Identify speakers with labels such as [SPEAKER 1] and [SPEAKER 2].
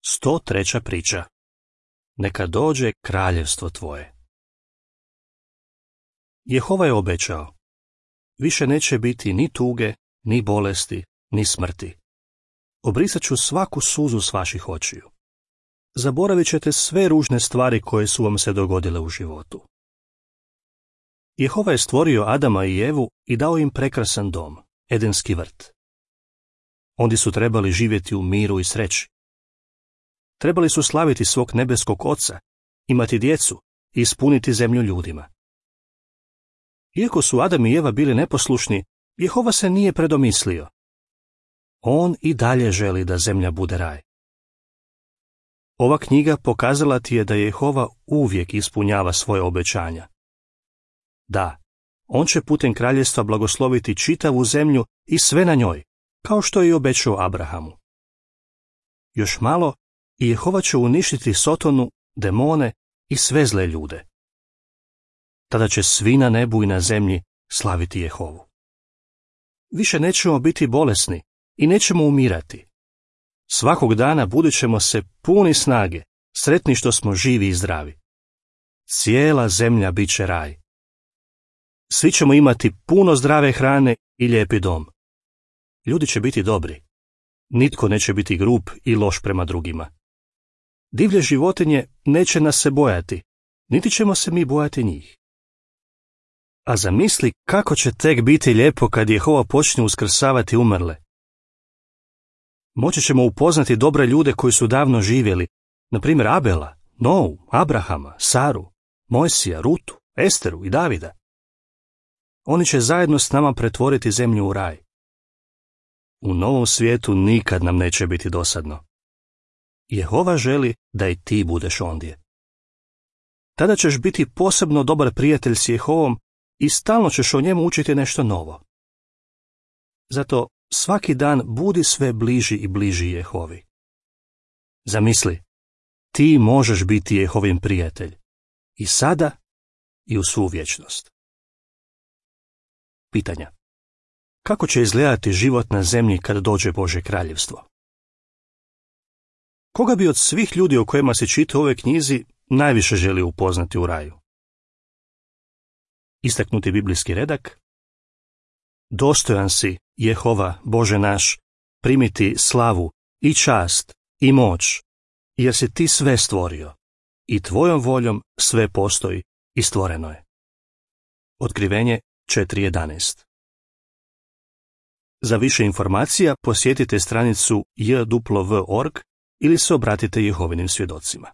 [SPEAKER 1] 103. priča. Neka dođe kraljevstvo tvoje. Jehova je obećao, više neće biti ni tuge, ni bolesti, ni smrti. Obrisat ću svaku suzu s vaših očiju. Zaboravit ćete sve ružne stvari koje su vam se dogodile u životu. Jehova je stvorio Adama i Evu i dao im prekrasan dom, Edenski vrt. Oni su trebali živjeti u miru i sreći. Trebali su slaviti svog nebeskog Oca, imati djecu i ispuniti zemlju ljudima. Iako su Adam i Eva bili neposlušni, Jehova se nije predomislio. On i dalje želi da zemlja bude raj. Ova knjiga pokazala ti je da Jehova uvijek ispunjava svoje obećanja. Da, on će putem kraljevstva blagosloviti čitavu zemlju i sve na njoj, kao što je i obećao Abrahamu. Još malo i Jehova će uništiti Sotonu, demone i sve zle ljude. Tada će svi na nebu i na zemlji slaviti Jehovu. Više nećemo biti bolesni i nećemo umirati. Svakog dana budit ćemo se puni snage, sretni što smo živi i zdravi. Cijela zemlja bit će raj. Svi ćemo imati puno zdrave hrane i lijepi dom. Ljudi će biti dobri. Nitko neće biti grub i loš prema drugima. Divlje životinje neće nas se bojati, niti ćemo se mi bojati njih. A zamisli kako će tek biti lijepo kad Jehova počne uskrsavati umrle. Moći ćemo upoznati dobre ljude koji su davno živjeli, na primjer Abela, Nou, Abrahama, Saru, Mojsija, Rutu, Esteru i Davida. Oni će zajedno s nama pretvoriti zemlju u raj. U novom svijetu nikad nam neće biti dosadno. Jehova želi da i ti budeš ondje. Tada ćeš biti posebno dobar prijatelj s Jehovom i stalno ćeš o njemu učiti nešto novo. Zato svaki dan budi sve bliži i bliži Jehovi. Zamisli, ti možeš biti Jehovin prijatelj. I sada i u svu vječnost. Pitanja. Kako će izgledati život na zemlji kad dođe Božje kraljevstvo? Koga bi od svih ljudi o kojima se čita u ovoj knjizi najviše želio upoznati u raju? Istaknuti biblijski redak. Dostojan si, Jehova, Bože naš, primiti slavu i čast i moć, jer si ti sve stvorio i tvojom voljom sve postoji i stvoreno je. Otkrivenje 4.11. Za više informacija posjetite stranicu jw.org ili se obratite Jehovinim svjedocima.